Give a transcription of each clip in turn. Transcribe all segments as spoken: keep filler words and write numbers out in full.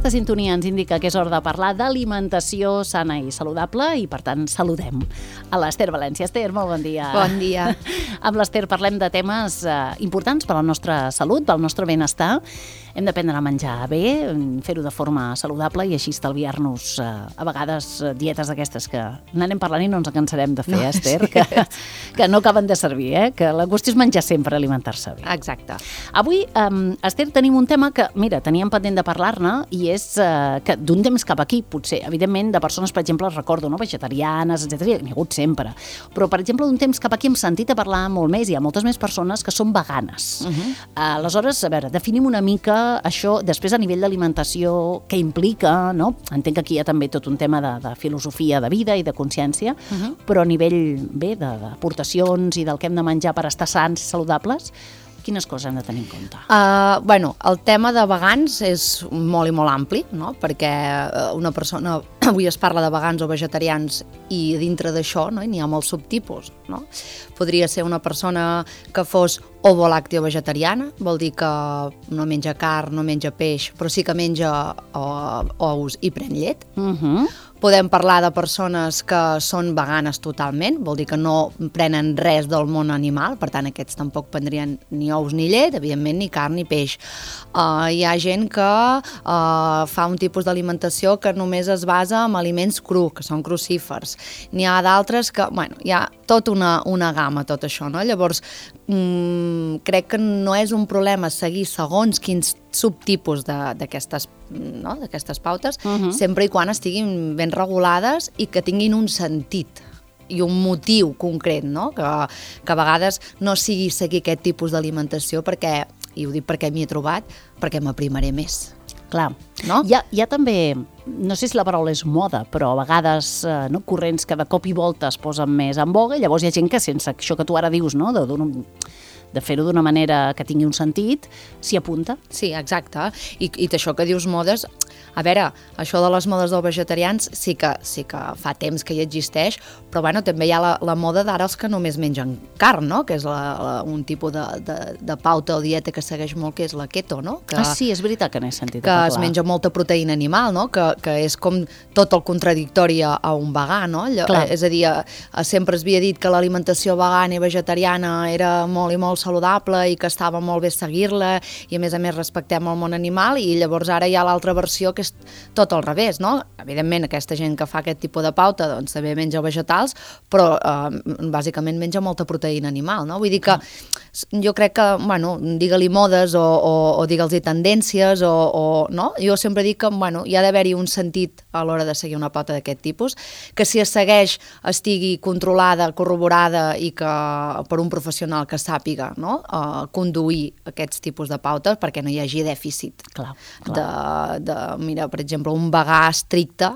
Aquesta sintonia ens indica que és hora de parlar d'alimentació sana i saludable i, per tant, saludem a l'Ester València. Esther, molt bon dia. Bon dia. Amb l'Ester parlem de temes eh, importants per a la nostra salut, pel nostre benestar. Hem d'aprendre a menjar bé, fer-ho de forma saludable i així estalviar-nos eh, a vegades dietes d'aquestes que n'anem parlant i no ens cansarem de fer, no, Esther, sí. que, que no acaben de servir, eh? Que la qüestió és menjar sempre, alimentar-se bé. Exacte. Avui, eh, Esther, tenim un tema que, mira, teníem pendent de parlar-ne i és eh, que d'un temps cap aquí, potser, evidentment, de persones, per exemple, recordo, no? Vegetarianes, etcètera, n'hi ha hagut sempre. Però, per exemple, d'un temps cap aquí hem sentit a parlar molt més, hi ha moltes més persones que són veganes. Uh-huh. Aleshores, a veure, definim una mica això, després a nivell d'alimentació, què implica, no? Entenc que aquí hi ha també tot un tema de, de filosofia de vida i de consciència, uh-huh. però a nivell, bé, d'aportacions i del que hem de menjar per estar sants i saludables, quines coses hem de tenir en compte? Uh, bueno, el tema de vegans és molt i molt ampli, no? Perquè una persona, avui es parla de vegans o vegetarians i dintre d'això, no? N'hi ha molts subtipus, no? Podria ser una persona que fos ovolàcteo vegetariana, vol dir que no menja carn, no menja peix, però sí que menja uh, ous i pren llet. Uh-huh. Podem parlar de persones que són veganes totalment, vol dir que no prenen res del món animal, per tant aquests tampoc prendrien ni ous ni llet, evidentment ni carn ni peix. Uh, hi ha gent que uh, fa un tipus d'alimentació que només es basa en aliments cru, que són crucífers. N'hi ha d'altres que, bueno, hi ha tota una, una gamma tot això, no? Llavors, mm, crec que no és un problema seguir segons quins subtipus d'aquestes no? d'aquestes pautes, uh-huh. sempre i quan estiguin ben regulades i que tinguin un sentit i un motiu concret, no? que, que a vegades no sigui seguir aquest tipus d'alimentació perquè, i ho dic perquè m'hi he trobat, perquè m'aprimaré més. Clar, no? Hi ha, hi ha també, no sé si la paraula és moda, però a vegades eh, no, corrents que de cop i volta es posen més en boga i llavors hi ha gent que sense això que tu ara dius, no? de, de fer-ho d'una manera que tingui un sentit, s'hi apunta. Sí, exacte. I, i d'això que dius modes, a veure, això de les modes dels vegetarians sí que, sí que fa temps que hi existeix, però bueno, també hi ha la, la moda d'ara els que només mengen carn, no? Que és la, la, un tipus de, de, de pauta o dieta que segueix molt, que és la keto, no? Que, ah, sí, és veritat que n'he sentit que a parlar. Es menja molta proteïna animal, no? Que, que és com tot el contradictori a, a un vegà, no? Clar. És a dir, a, a sempre es havia dit que l'alimentació vegana i vegetariana era molt i molt saludable i que estava molt bé seguir-la i a més a més respectem el món animal i llavors ara hi ha l'altra versió que és tot al revés, no? Evidentment aquesta gent que fa aquest tipus de pauta doncs també menja vegetals, però eh, bàsicament menja molta proteïna animal, no? Vull dir que jo crec que, bueno, digue-li modes o, o, o digue-li tendències o, o, no? Jo sempre dic que, bueno, hi ha d'haver-hi un sentit a l'hora de seguir una pauta d'aquest tipus, que si es segueix estigui controlada, corroborada i que per un professional que sàpiga, no? Uh, conduir aquests tipus de pautes perquè no hi hagi dèficit. Clar, clar. De, de, mira, per exemple, un vegà estricte,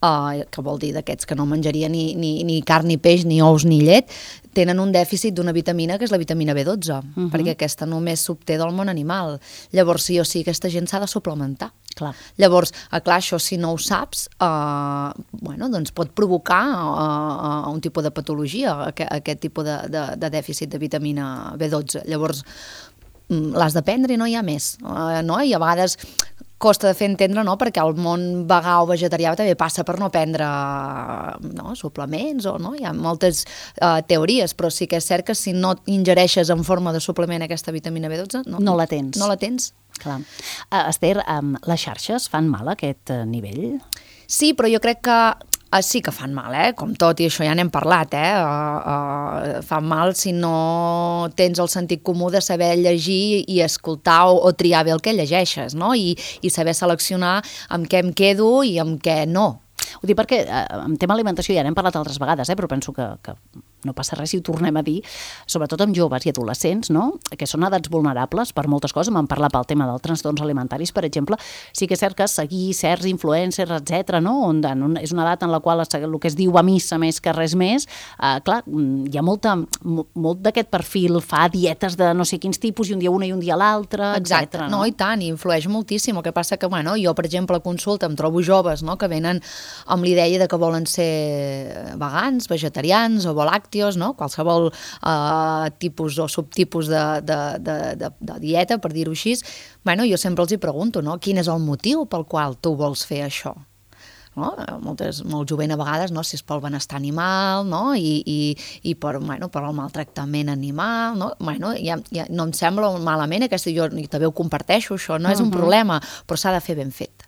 uh, que vol dir d'aquests que no menjaria ni, ni, ni carn, ni peix, ni ous, ni llet, tenen un dèficit d'una vitamina que és la vitamina B dotze, uh-huh. perquè aquesta només s'obté del món animal. Llavors, sí o sí, aquesta gent s'ha de suplementar. Clar. Llavors, clar, això si no ho saps, uh, bueno, doncs pot provocar uh, uh, un tipus de patologia, aquest, aquest tipus de, de, de dèficit de vitamina B dotze. Llavors, l'has de prendre i no hi ha més. Uh, no? I a vegades costa de fer entendre, no? Perquè el món vegà o vegetarià també passa per no prendre no? suplements, o no? Hi ha moltes uh, teories, però sí que és cert que si no ingereixes en forma de suplement aquesta vitamina B dotze, no, no la tens. No la tens. Clar. Uh, Esther, um, les xarxes fan mal a aquest uh, nivell? Sí, però jo crec que uh, sí que fan mal, eh? Com tot, i això ja n'hem parlat, eh? Uh, uh, fan mal si no tens el sentit comú de saber llegir i escoltar o, o triar bé el que llegeixes, no? I, i saber seleccionar amb què em quedo i amb què no. Ho dic perquè eh, en tema alimentació ja n'hem parlat altres vegades, eh, però penso que, que no passa res si ho tornem a dir, sobretot amb joves i adolescents, no? Que són edats vulnerables per moltes coses. Vam parlar pel tema dels trastorns alimentaris, per exemple. Sí que és cert que seguir certs influencers, etcètera, no? On, on, és una edat en la qual el que es diu va a missa més que res més. Eh, clar, hi ha molta, molt d'aquest perfil, fa dietes de no sé quins tipus, i un dia una i un dia l'altre, etcètera. No? no, i tant, i influeix moltíssim. El que passa que, bueno, jo, per exemple, a consulta em trobo joves, no?, que venen amb l'idea de que volen ser vegans, vegetarians o volàctics, làctios, no? Qualsevol eh, tipus o subtipus de, de, de, de, de dieta, per dir-ho així, bueno, jo sempre els hi pregunto, no? Quin és el motiu pel qual tu vols fer això? No? Moltes, molt jovent a vegades, no? Si és pel benestar animal, no? I, i, i per, bueno, per el maltractament animal, no? Bueno, ja, ja no em sembla malament, aquesta, jo també ho comparteixo, això no és un uh-huh. problema, però s'ha de fer ben fet.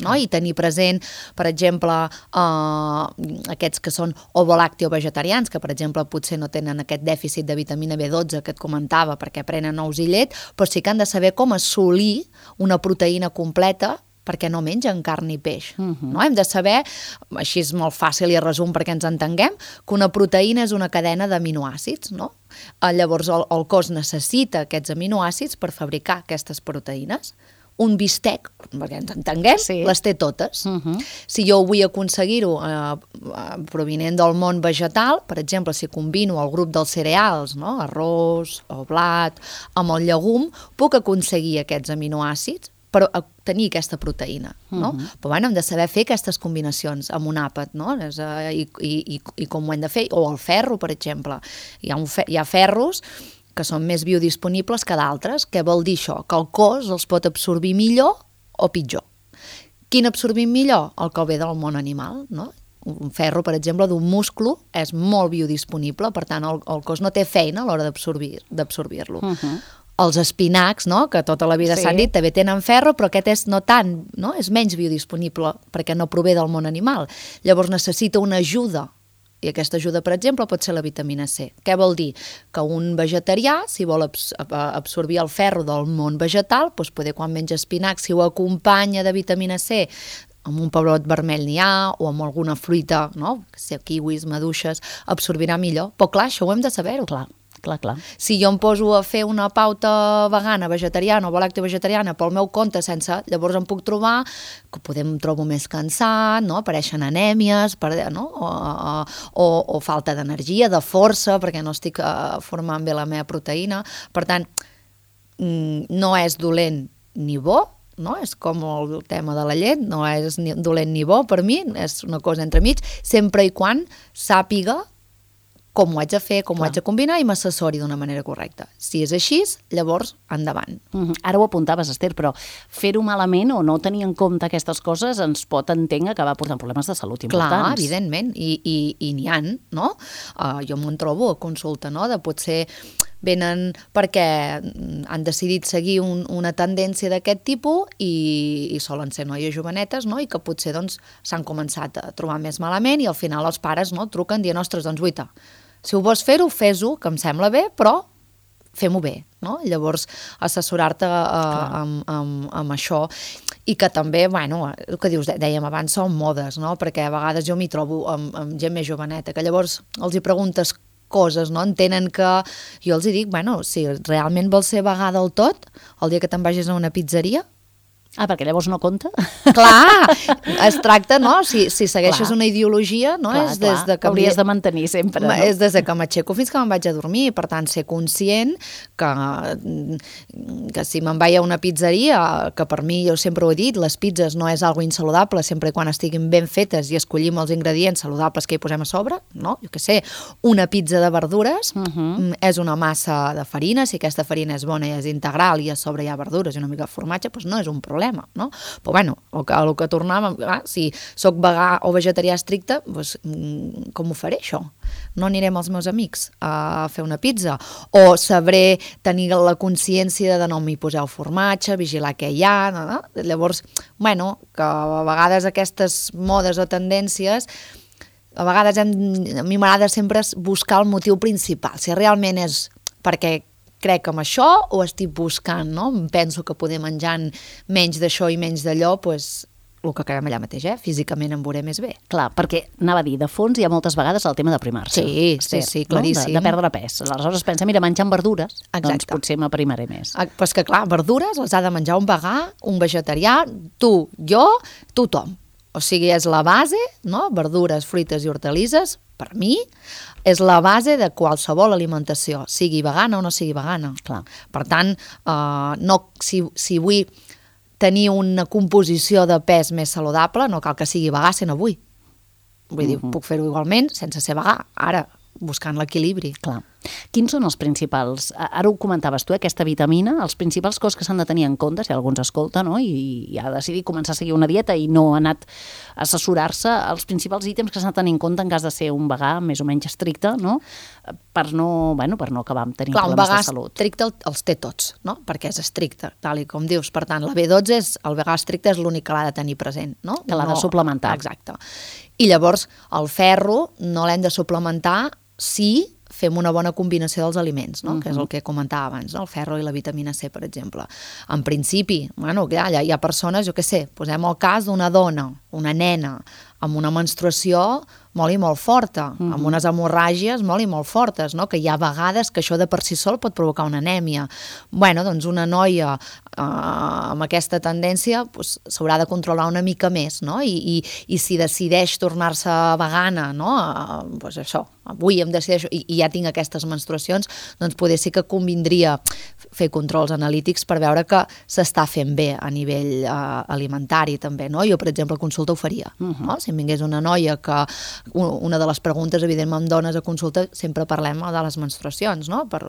No? I tenir present, per exemple, eh, aquests que són ovolactio-vegetarians, que per exemple potser no tenen aquest dèficit de vitamina B dotze que et comentava perquè prenen ous i llet, però sí que han de saber com assolir una proteïna completa perquè no mengen carn ni peix. Uh-huh. No? Hem de saber, així és molt fàcil i a resum perquè ens entenguem, que una proteïna és una cadena d'aminoàcids, no? Llavors el, el cos necessita aquests aminoàcids per fabricar aquestes proteïnes. Un bistec, perquè ens entenguem, sí. les té totes. Uh-huh. Si jo vull aconseguir-ho eh, provinent del món vegetal, per exemple, si combino el grup dels cereals, no? Arròs o blat, amb el llegum, puc aconseguir aquests aminoàcids per tenir aquesta proteïna, no? Uh-huh. Però bueno, hem de saber fer aquestes combinacions amb un àpat, no? És, uh, i, i, i com ho hem de fer, o el ferro, per exemple. Hi ha, un fe hi ha ferros que són més biodisponibles que d'altres. Què vol dir això? Que el cos els pot absorbir millor o pitjor. Quin absorbim millor? El que ve del món animal, no? Un ferro, per exemple, d'un musclo és molt biodisponible, per tant, el, el cos no té feina a l'hora d'absorbir d'absorbir-lo. Uh-huh. Els espinacs, no? Que tota la vida s'han sí. dit, també tenen ferro, però aquest és no tant, no? És menys biodisponible perquè no prové del món animal. Llavors necessita una ajuda, i aquesta ajuda, per exemple, pot ser la vitamina C. Què vol dir? Que un vegetarià, si vol abs absorbir el ferro del món vegetal, doncs poder quan menja espinacs, si ho acompanya de vitamina C, amb un pebrot vermell n'hi ha, o amb alguna fruita, no? Si kiwis, maduixes, absorbirà millor. Però clar, això ho hem de saber-ho. Clar. Clar, clar. Si jo em poso a fer una pauta vegana, vegetariana o volacto-vegetariana pel meu compte sense, llavors em puc trobar que podem trobo més cansat, no? Apareixen anèmies, per, no? o, o, o falta d'energia, de força, perquè no estic uh, formant bé la meva proteïna. Per tant, no és dolent ni bo, no? És com el tema de la llet, no és ni dolent ni bo per mi, és una cosa entremig, sempre i quan sàpiga com ho haig de fer, com Clar. ho haig de combinar i m'assessori d'una manera correcta. Si és així, llavors, endavant. Uh-huh. Ara ho apuntaves, Esther, però fer-ho malament o no tenir en compte aquestes coses ens pot, entenc, acabar portant problemes de salut importants. Clar, evidentment, i, i, i n'hi ha, no? Uh, jo m'ho trobo a consulta, no? De potser venen perquè han decidit seguir un, una tendència d'aquest tipus i, i solen ser noies jovenetes, no? I que potser doncs s'han començat a trobar més malament i al final els pares, no? Truquen dient, ostres, doncs guaita, si ho vols fer-ho, fes-ho, que em sembla bé, però fem-ho bé, no? Llavors, assessorar-te uh, amb, amb, amb això i que també, bueno, el que dius, dèiem abans, són modes, no? Perquè a vegades jo m'hi trobo amb, amb gent més joveneta, que llavors els hi preguntes coses, no? Entenen que... Jo els hi dic, bueno, si realment vols ser vegà del tot, el dia que te'n vagis a una pizzeria... Ah, perquè llavors no compta? Clar, es tracta, no? Si, si segueixes clar. una ideologia, no? Clar, és des de que hauries de mantenir sempre. No? És des de que m'aixeco fins que me'n vaig a dormir, per tant, ser conscient que, que si me'n vaig a una pizzeria, que per mi, jo sempre ho he dit, les pizzas no és algo insaludable, sempre i quan estiguin ben fetes i escollim els ingredients saludables que hi posem a sobre, no? Jo què sé, una pizza de verdures uh-huh. és una massa de farina, si aquesta farina és bona i és integral i a sobre hi ha verdures i una mica de formatge, doncs no és un problema. No? Però bueno, el que, el que tornàvem, ah, si sóc vegà o vegetarià estricte, doncs, com ho faré això? No anirem als meus amics a fer una pizza? O sabré tenir la consciència de no m'hi poseu formatge, vigilar què hi ha, no, no? Llavors, bueno, que a vegades aquestes modes o tendències, a vegades hem, a mi m'agrada sempre buscar el motiu principal, si realment és perquè crec amb això o estic buscant, no? Penso que poder menjant menys d'això i menys d'allò, doncs el que acabem allà mateix, eh? Físicament em veuré més bé. Clar, perquè anava a dir, de fons hi ha moltes vegades el tema d'aprimar-se. Sí, sí, sí, claríssim. No? De, de perdre pes. Aleshores pensa, mira, menjant verdures, exacte. Doncs potser m'aprimaré més. Ah, però és que clar, verdures les ha de menjar un vegà, un vegetarià, tu, jo, tothom. O sigui, és la base, no? Verdures, fruites i hortalisses, per mi, és la base de qualsevol alimentació, sigui vegana o no sigui vegana. Clar. Per tant, eh, no, si, si vull tenir una composició de pes més saludable, no cal que sigui vegà si no vull. Vull uh-huh. dir, puc fer-ho igualment sense ser vegà. Ara, buscant l'equilibri. Clar. Quins són els principals, ara ho comentaves tu, aquesta vitamina, els principals coses que s'han de tenir en compte, si algú ens escolta, no? I, i ha decidit començar a seguir una dieta i no ha anat a assessorar-se, els principals ítems que s'han de tenir en compte en cas de ser un vegà més o menys estricte, no? Per no, bueno, per no acabar amb tenir Clar, problemes de salut. Clar, un vegà estricte els té tots, no? Perquè és estricte, tal i com dius. Per tant, la B dotze, és, el vegà estricte és l'únic que l'ha de tenir present, no? Que l'ha no, de suplementar. Exacte. I llavors, el ferro no l'hem de suplementar si fem una bona combinació dels aliments, no? Uh-huh. Que és el que comentava abans, no? El ferro i la vitamina C, per exemple. En principi, bueno, hi ha, hi ha persones, jo què sé, posem el cas d'una dona, una nena, amb una menstruació molt i molt forta, uh-huh. amb unes hemorràgies molt i molt fortes, no? Que hi ha vegades que això de per si sol pot provocar una anèmia. Bueno, doncs una noia eh, amb aquesta tendència pues, s'haurà de controlar una mica més, no? I, i, i si decideix tornar-se vegana, no? Eh, pues això, avui em decideixo i, i ja tinc aquestes menstruacions, doncs poder sí que convindria fer controls analítics per veure que s'està fent bé a nivell eh, alimentari també, no? Jo, per exemple, a consulta ho faria, uh-huh. no? Si em vingués una noia que una de les preguntes, evidentment, amb dones a consulta sempre parlem de les menstruacions, no? Per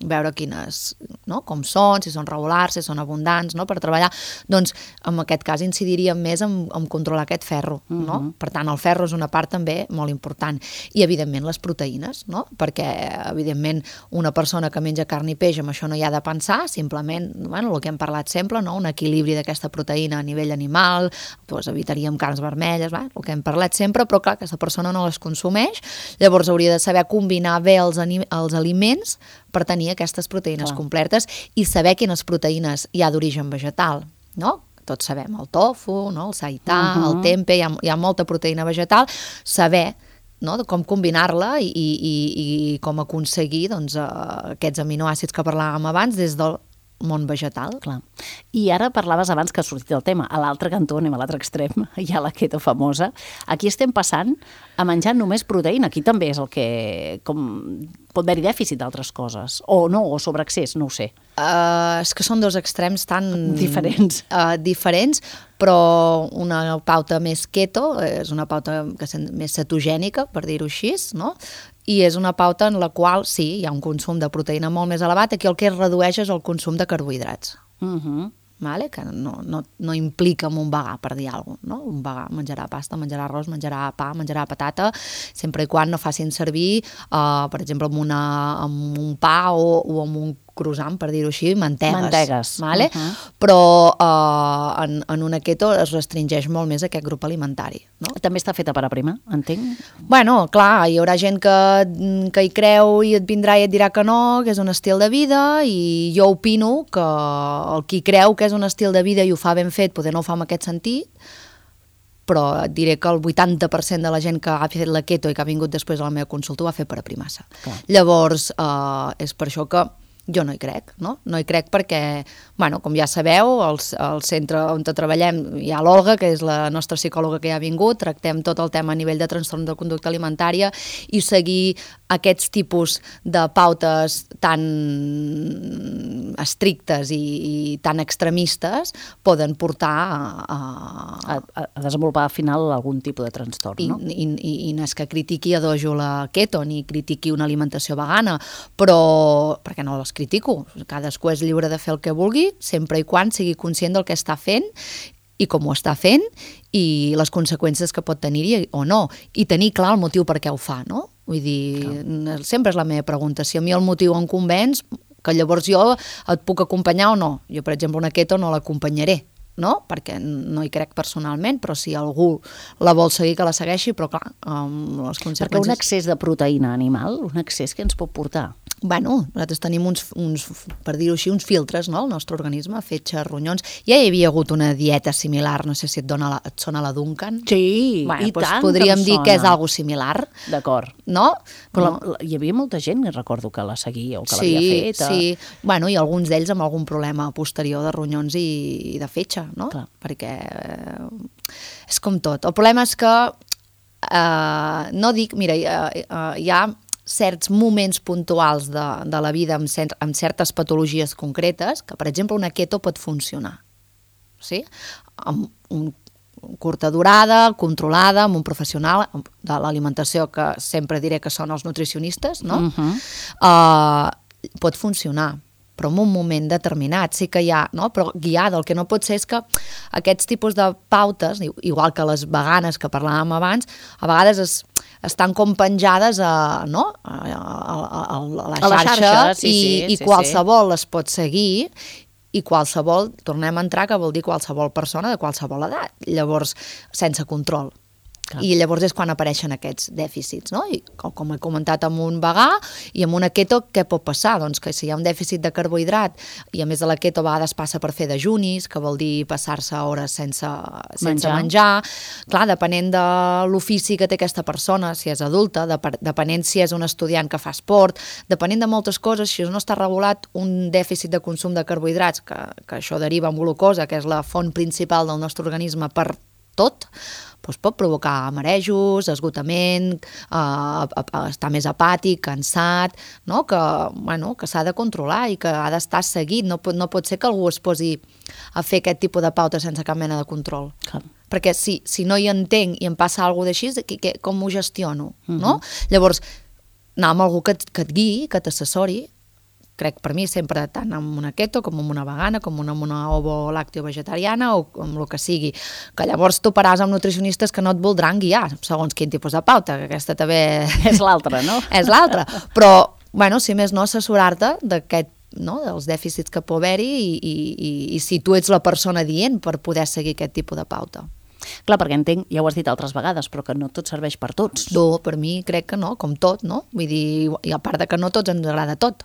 veure quines, no? Com són, si són regulars, si són abundants, no? Per treballar, doncs en aquest cas incidiríem més en, en controlar aquest ferro, no? Uh-huh. Per tant, el ferro és una part també molt important. I, evidentment, les proteïnes, no? Perquè, evidentment, una persona que menja carn i peix, amb això no hi ha de pensar, simplement, bueno, el que hem parlat sempre, no? Un equilibri d'aquesta proteïna a nivell animal, doncs evitaríem carns vermelles, va? El que hem parlat sempre, però clar, aquesta persona no les consumeix, llavors hauria de saber combinar bé els, els aliments per tenir aquestes proteïnes clar. Completes i saber quines proteïnes hi ha d'origen vegetal, no? Tots sabem el tofu, no? El seità, uh-huh. el tempe, hi ha, hi ha molta proteïna vegetal, saber no? Com combinar-la i, i, i com aconseguir doncs, aquests aminoàcids que parlàvem abans des del món vegetal. Clar. I ara parlaves abans que ha sortit el tema, a l'altre cantó, anem a l'altre extrem, hi ha la keto famosa. Aquí estem passant a menjar només proteïna, aquí també és el que... Com, pot haver-hi dèficit d'altres coses, o no, o sobreaccés, no ho sé. Uh, és que són dos extrems tan... Diferents. Uh, diferents, però una pauta més keto, és una pauta que és més cetogènica, per dir-ho així, no? I és una pauta en la qual, sí, hi ha un consum de proteïna molt més elevat, aquí el que es redueix és el consum de carbohidrats. Uh-huh. Vale? Que no, no, no implica amb un vegà, per dir alguna cosa, no? Un vegà menjarà pasta, menjarà arròs, menjarà pa, menjarà patata, sempre i quan no facin servir, uh, per exemple, amb, una, amb un pa o, o amb un croissant, per dir-ho així, mantegues. Mantegues. Vale? Uh-huh. Però uh, en, en una keto es restringeix molt més aquest grup alimentari. No? També està feta per aprimar, entenc? Bueno, clar, hi haurà gent que, que hi creu i et vindrà i et dirà que no, que és un estil de vida, i jo opino que el qui creu que és un estil de vida i ho fa ben fet, poder no ho fa en aquest sentit, però et diré que el vuitanta per cent de la gent que ha fet la keto i que ha vingut després a la meva consulta ho ha fet per aprimar-se. Llavors, uh, és per això que jo no hi crec, no? No hi crec perquè, bueno, com ja sabeu, el, el centre on treballem hi ha l'Olga, que és la nostra psicòloga que ja ha vingut, tractem tot el tema a nivell de trastorn de conducta alimentària i seguir aquests tipus de pautes tan estrictes i, i tan extremistes poden portar a, a, a, a desenvolupar al final algun tipus de trastorn, I, no? I, i, i no és que critiqui a dojo la keto ni critiqui una alimentació vegana, però perquè no les critico, cadascú és lliure de fer el que vulgui, sempre i quan sigui conscient del que està fent i com ho està fent i les conseqüències que pot tenir-hi o no, i tenir clar el motiu per què ho fa, no? Vull dir, clar. Sempre és la meva pregunta, si a mi el motiu em convenç, que llavors jo et puc acompanyar o no. Jo, per exemple, una keto no l'acompanyaré, no? Perquè no hi crec personalment, però si algú la vol seguir, que la segueixi, però clar, amb les conseqüències... Perquè un excés de proteïna animal, un excés que ens pot portar? Bueno, nosaltres tenim uns, uns per dir-ho així, uns filtres, no?, al nostre organisme, fetge, ronyons. Ja hi havia hagut una dieta similar, no sé si et, dona la, et sona la Duncan. Sí, bueno, i doncs tant podríem que dir sona. que és algo similar. D'acord. No? Però no. La, hi havia molta gent, recordo, que la seguia o que sí, l'havia fet. Sí, sí. Bueno, i alguns d'ells amb algun problema posterior de ronyons i, i de fetge, no? Clar. Perquè eh, és com tot. El problema és que eh, no dic, mira, eh, eh, hi ha certs moments puntuals de, de la vida amb, cert, amb certes patologies concretes que, per exemple, una keto pot funcionar. Sí? Amb un, curta durada, controlada, amb un professional de l'alimentació, que sempre diré que són els nutricionistes, no? Uh-huh. uh, pot funcionar, però en un moment determinat sí que hi ha, no? Però guiada. El que no pot ser és que aquests tipus de pautes, igual que les veganes que parlàvem abans, a vegades es, estan com penjades a, no? a, a, a, a la xarxa, a la xarxa sí, i, sí, i sí, qualsevol sí. les pot seguir, i qualsevol, tornem a entrar, que vol dir qualsevol persona de qualsevol edat, llavors sense control. Clar. I llavors és quan apareixen aquests dèficits, no? I com, com he comentat amb un vegà i amb una keto, què pot passar? Doncs que si hi ha un dèficit de carbohidrat i a més de la keto a vegades passa per fer dejunis, que vol dir passar-se hores sense, sense menjar. menjar, clar, depenent de l'ofici que té aquesta persona, si és adulta, depenent si és un estudiant que fa esport, depenent de moltes coses, si no està regulat un dèficit de consum de carbohidrats, que, que això deriva en glucosa, que és la font principal del nostre organisme per tot, doncs pot provocar marejos, esgotament, eh, estar més apàtic, cansat, no? que, bueno, que s'ha de controlar i que ha d'estar seguit. No pot, no pot ser que algú es posi a fer aquest tipus de pauta sense cap mena de control. Clar. Perquè si, si no hi entenc i em passa alguna cosa d'així, com ho gestiono? Uh-huh. No? Llavors, anar amb algú que, que et guiï, que t'assessori, crec per mi sempre tant amb una keto com amb una vegana, com amb una ovo-làcteo vegetariana o amb el que sigui, que llavors toparàs amb nutricionistes que no et voldran guiar segons quin tipus de pauta, que aquesta també és l'altra, no? És l'altra, però bueno, si més no, assessorar-te d'aquest, no, dels dèficits que pot haver-hi i, i, i, i si tu ets la persona dient per poder seguir aquest tipus de pauta. Clar, perquè entenc, ja ho has dit altres vegades, però que no tot serveix per tots. No, per mi crec que no, com tot, no? Vull dir, i a part de que no tots ens agrada tot.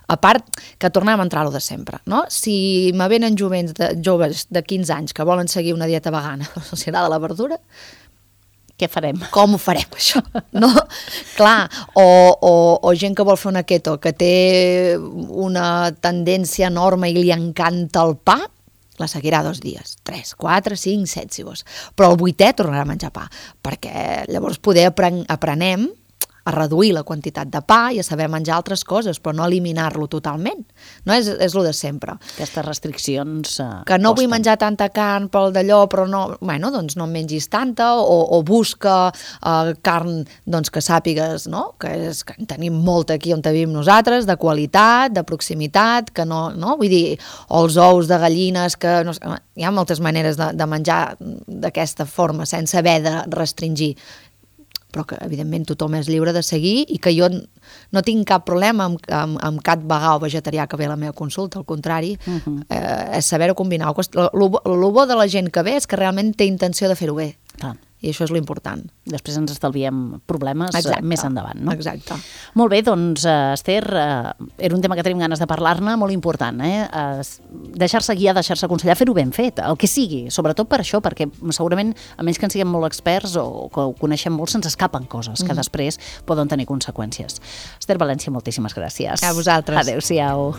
A part que tornem a entrar-ho de sempre, no? Si me venen jovents de, joves de quinze anys que volen seguir una dieta vegana, els agrada la verdura, què farem? Com ho farem, això? No? Clar, o, o, o gent que vol fer una keto, que té una tendència enorme i li encanta el pa, la seguirà dos dies, tres, quatre, cinc, set, si vols. Però el vuitè tornarà a menjar pa, perquè llavors poder apren aprenem a reduir la quantitat de pa i a saber menjar altres coses, però no eliminar-lo totalment. No és, és el de sempre. Aquestes restriccions... Uh, que no costen. Vull menjar tanta carn pel d'allò, però no... Bueno, doncs no en mengis tanta, o, o busca uh, carn doncs, que sàpigues, no? Que, és, que en tenim molta aquí on vivim nosaltres, de qualitat, de proximitat, que no... no? Vull dir, o els ous de gallines, que no, hi ha moltes maneres de, de menjar d'aquesta forma, sense haver de restringir, però que evidentment tothom és lliure de seguir i que jo no tinc cap problema amb, amb, amb cap vegà o vegetarià que ve a la meva consulta, al contrari, uh-huh. eh, és saber-ho combinar. El bo de la gent que ve és que realment té intenció de fer-ho bé. Ah. I això és l'important. Després ens estalviem problemes Exacte. Més endavant, no? Exacte. Molt bé, doncs, Esther, uh, era un tema que tenim ganes de parlar-ne, molt important, eh? Uh, deixar-se guiar, deixar-se aconsellar, fer-ho ben fet, el que sigui, sobretot per això, perquè segurament, a menys que en siguem molt experts o que ho coneixem molt, se'ns escapen coses que mm. després poden tenir conseqüències. Esther València, moltíssimes gràcies. A vosaltres. Adéu-siau.